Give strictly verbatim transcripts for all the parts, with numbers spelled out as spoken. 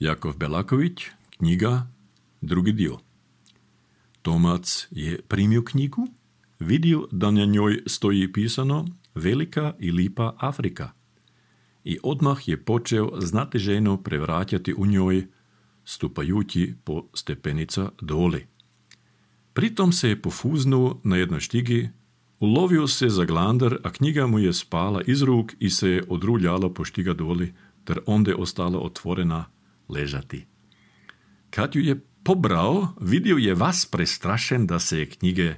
Jakov Belaković, knjiga, drugi dio. Tomac je primio knjigu, vidio da na njoj stoji pisano Velika i lipa Afrika i odmah je počeo znateženo prevraćati u njoj, stupajući po stepenica doli. Pritom se je pofuznuo na jednoj štigi, ulovio se za glandar, a knjiga mu je spala iz ruk i se je odruljala po štiga doli, ter onda je ostala otvorena ležati. Kad ju je pobrao, vidio je vas prestrašen da se je knjige,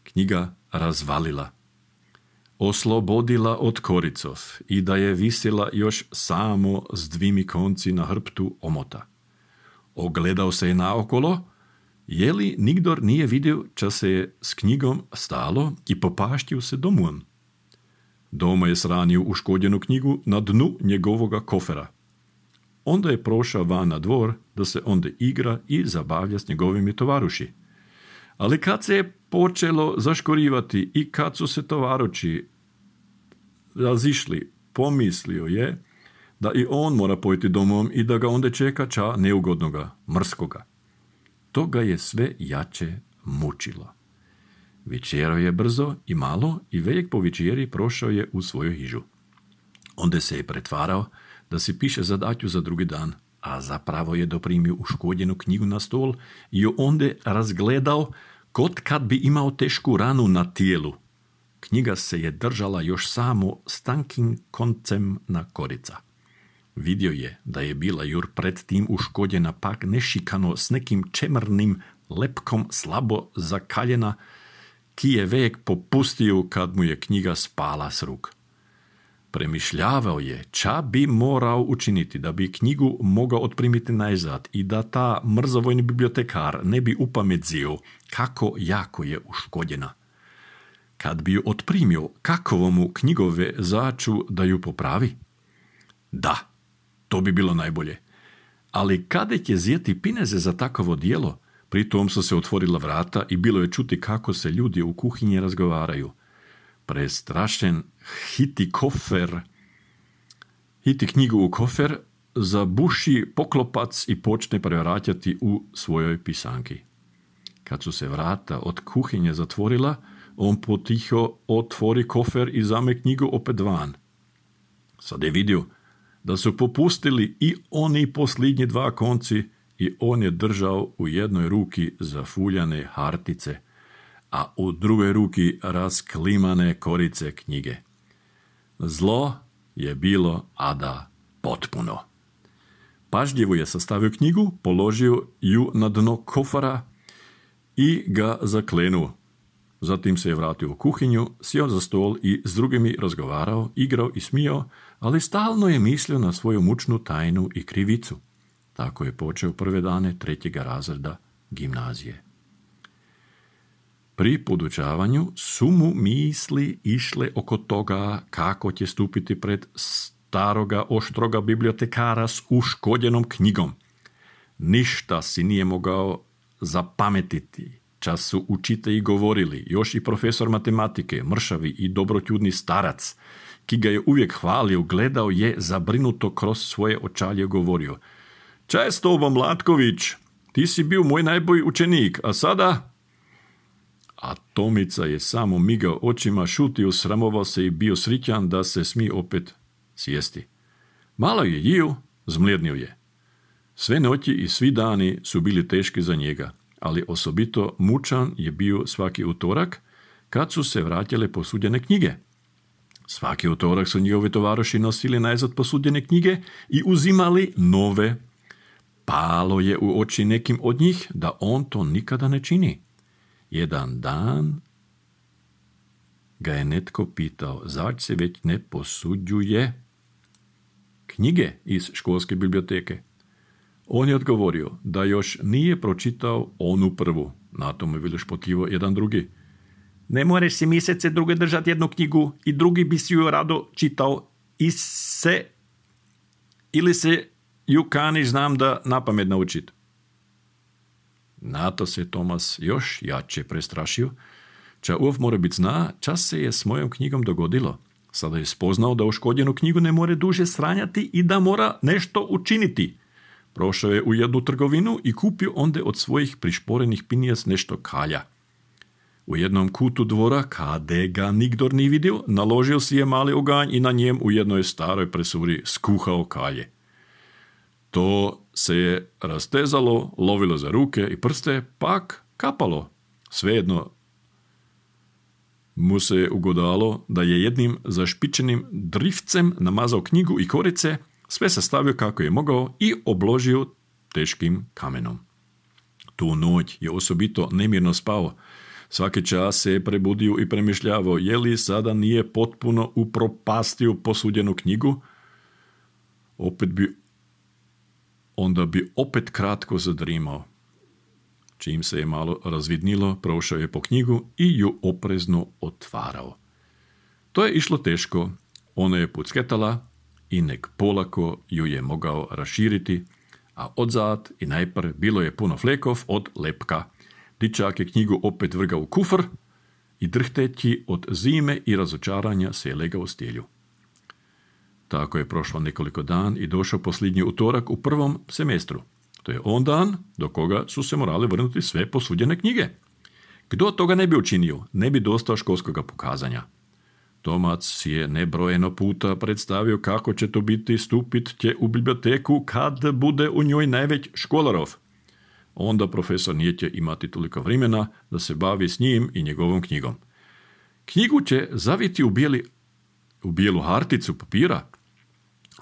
knjiga razvalila, oslobodila od koricov i da je visila još samo s dvimi konci na hrbtu omota. Ogledao se je naokolo, je li nigdor nije vidio ča se je s knjigom stalo i popaštio se domun. Doma je sranio uškodjenu knjigu na dnu njegovoga kofera. Onda je prošao van na dvor da se onda igra i zabavlja s njegovimi tovaruši. Ali kad se je počelo zaškorivati i kad su se tovaruši razišli, pomislio je da i on mora pojeti domom i da ga onda čeka ča neugodnoga, mrskoga. To ga je sve jače mučilo. Večerao je brzo i malo i velik po večeri prošao je u svoju hižu. Onda se je pretvarao da si piše zadatju za drugi dan, a zapravo je doprimio uškodjenu knjigu na stol i ju onda razgledao kot kad bi imao tešku ranu na tijelu. Knjiga se je držala još samo s tankim koncem na korica. Vidio je da je bila jur pred tim uškodjena pak nešikano s nekim čemernim lepkom slabo zakaljena, ki je vek popustio kad mu je knjiga spala s ruk. Premišljavao je ča bi morao učiniti da bi knjigu mogao otprimiti najzad i da ta mrzovojni bibliotekar ne bi upamedzio kako jako je uškodjena. Kad bi ju otprimio, kakovo mu knjigove začu da ju popravi? Da, to bi bilo najbolje. Ali kada će zjeti pineze za takovo dijelo? Pritom su se otvorila vrata i bilo je čuti kako se ljudi u kuhinji razgovaraju. Prestrašen hiti kofer, hiti knjigu u kofer, zabuši poklopac i počne prevraćati u svojoj pisanki. Kad su se vrata od kuhinje zatvorila, on potiho otvori kofer i zame knjigu opet van. Sad je vidio da su popustili i oni posljednji dva konci i on je držao u jednoj ruki zafuljane hartice, a u drugoj ruki rasklimane korice knjige. Zlo je bilo ada potpuno. Pažljivo je sastavio knjigu, položio ju na dno kofara i ga zaklenuo. Zatim se je vratio u kuhinju, sjeo za stol i s drugimi razgovarao, igrao i smijao, ali stalno je mislio na svoju mučnu tajnu i krivicu. Tako je počeo prve dane trećega razreda gimnazije. Pri podučavanju su mu misli išle oko toga kako će stupiti pred staroga oštroga bibliotekara s uškodjenom knjigom. Ništa si nije mogao zapametiti. Čas su učitelji govorili, još i profesor matematike, mršavi i dobroćudni starac, ki ga je uvijek hvalio, gledao je zabrinuto kroz svoje očalje govorio: "Ča je s tobom, Latković? Ti si bio moj najbolji učenik, a sada?" A Tomica je samo migao očima, šutio, sramovao se i bio srićan da se smije opet sjesti. Malo je jio, zmljednio je. Sve noći i svi dani su bili teški za njega, ali osobito mučan je bio svaki utorak kad su se vratile posuđene knjige. Svaki utorak su njihovi tovaroši nosili najzad posuđene knjige i uzimali nove. Palo je u oči nekim od njih da on to nikada ne čini. Jedan dan ga je netko pitao, zač se već ne posuđuje knjige iz školske biblioteke. On je odgovorio da još nije pročitao onu prvu. Na tomu je bilo špotljivo jedan drugi. "Ne moreš si mjesece druge držati jednu knjigu i drugi bi si ju rado čitao i se ili se ju kaniš znam da napamet naučit." Na to se Tomas još jače prestrašio. Ča uf mora biti zna, čas se je s mojom knjigom dogodilo. Sada je spoznao da uškodjenu knjigu ne more duže sranjati i da mora nešto učiniti. Prošao je u jednu trgovinu i kupio onda od svojih prišporenih pinijas nešto kalja. U jednom kutu dvora, kade ga nigdor ni vidio, naložio si je mali oganj i na njem u jednoj staroj presuri skuhao kalje. To se je rastezalo, lovilo za ruke i prste, pak kapalo. Svejedno mu se je ugodalo da je jednim zašpičenim drifcem namazao knjigu i korice, sve sastavio kako je mogao i obložio teškim kamenom. Tu noć je osobito nemirno spao. Svaki čas se je prebudio i premišljavao je li sada nije potpuno upropastio posuđenu knjigu, opet bi, onda bi opet kratko zadrimao. Čim se je malo razvidnilo, prošao je po knjigu i ju oprezno otvarao. To je išlo teško, ona je pucketala i nek polako ju je mogao raširiti, a odzad i najpre bilo je puno flekov od lepka. Dičak je knjigu opet vrgao u kufr i drhteći od zime i razočaranja se je legao u stjelju. Tako je prošlo nekoliko dan i došao posljednji utorak u prvom semestru. To je on dan do koga su se morali vrnuti sve posuđene knjige. Kdo toga ne bi učinio, ne bi dostao školskoga pokazanja. Tomac si je nebrojeno puta predstavio kako će to biti stupit će u biblioteku kad bude u njoj najveć školarov. Onda profesor nije će imati toliko vremena da se bavi s njim i njegovom knjigom. Knjigu će zaviti u, bijeli, u bijelu harticu papira,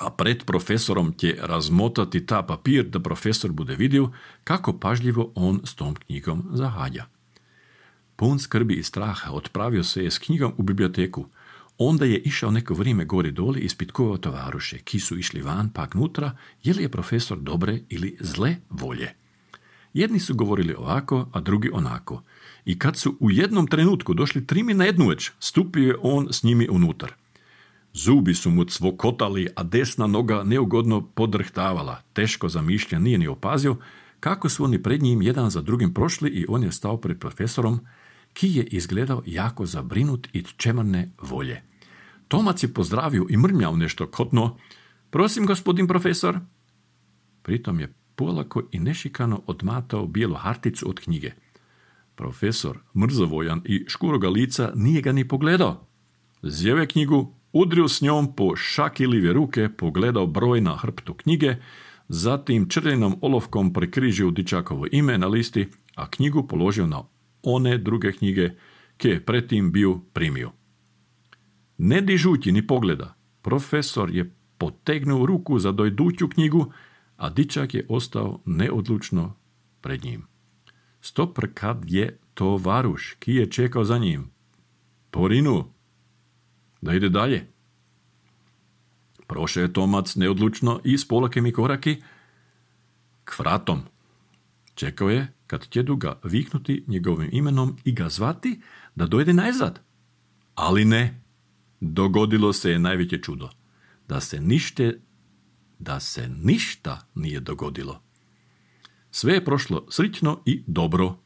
a pred profesorom će razmotati ta papir da profesor bude vidio kako pažljivo on s tom knjigom zahađa. Pun skrbi i straha otpravio se je s knjigom u biblioteku. Onda je išao neko vrijeme gori doli i ispitkovao tovaruše, ki su išli van pak nutra, je li je profesor dobre ili zle volje. Jedni su govorili ovako, a drugi onako. I kad su u jednom trenutku došli trimi na jednu već, stupio je on s njimi unutar. Zubi su mu cvokotali, a desna noga neugodno podrhtavala. Teško zamišlja nije ni opazio kako su oni pred njim jedan za drugim prošli i on je stao pred profesorom, ki je izgledao jako zabrinut i čemerne volje. Tomac je pozdravio i mrmljao nešto kotno. Prosim, gospodin profesor. Pritom je polako i nešikano odmatao bijelu harticu od knjige. Profesor, mrzovojan i škuroga lica, nije ga ni pogledao. Zjeve knjigu, udrio s njom po šaki live ruke, pogledao broj na hrptu knjige, zatim črljenom olovkom prekrižio dičakovo ime na listi, a knjigu položio na one druge knjige, ke je pretim bio primio. Ne dižući ni pogleda, profesor je potegnuo ruku za dojduću knjigu, a dičak je ostao neodlučno pred njim. Stopr kad je tovaruš, ki je čekao za njim. Porinu, da ide dalje. Prošao je Tomac neodlučno i s polakem i koraki k vratom. Čekao je kad ćedu ga viknuti njegovim imenom i ga zvati da dojde najzad. Ali ne, dogodilo se je najveće čudo. Da se nište, da se ništa nije dogodilo. Sve je prošlo srićno i dobro,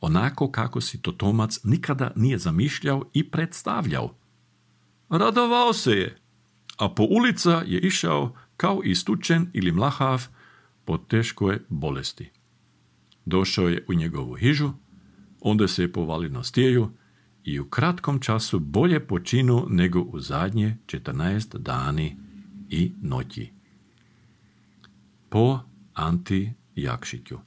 onako kako si to Tomac nikada nije zamišljao i predstavljao. Radovao se je, a po ulica je išao kao istučen ili mlahav po teškoj bolesti. Došao je u njegovu hižu, onda se je povalio na stijeju i u kratkom času bolje počinu nego u zadnje četrnaest dani i noći. Po Anti Jakšiću.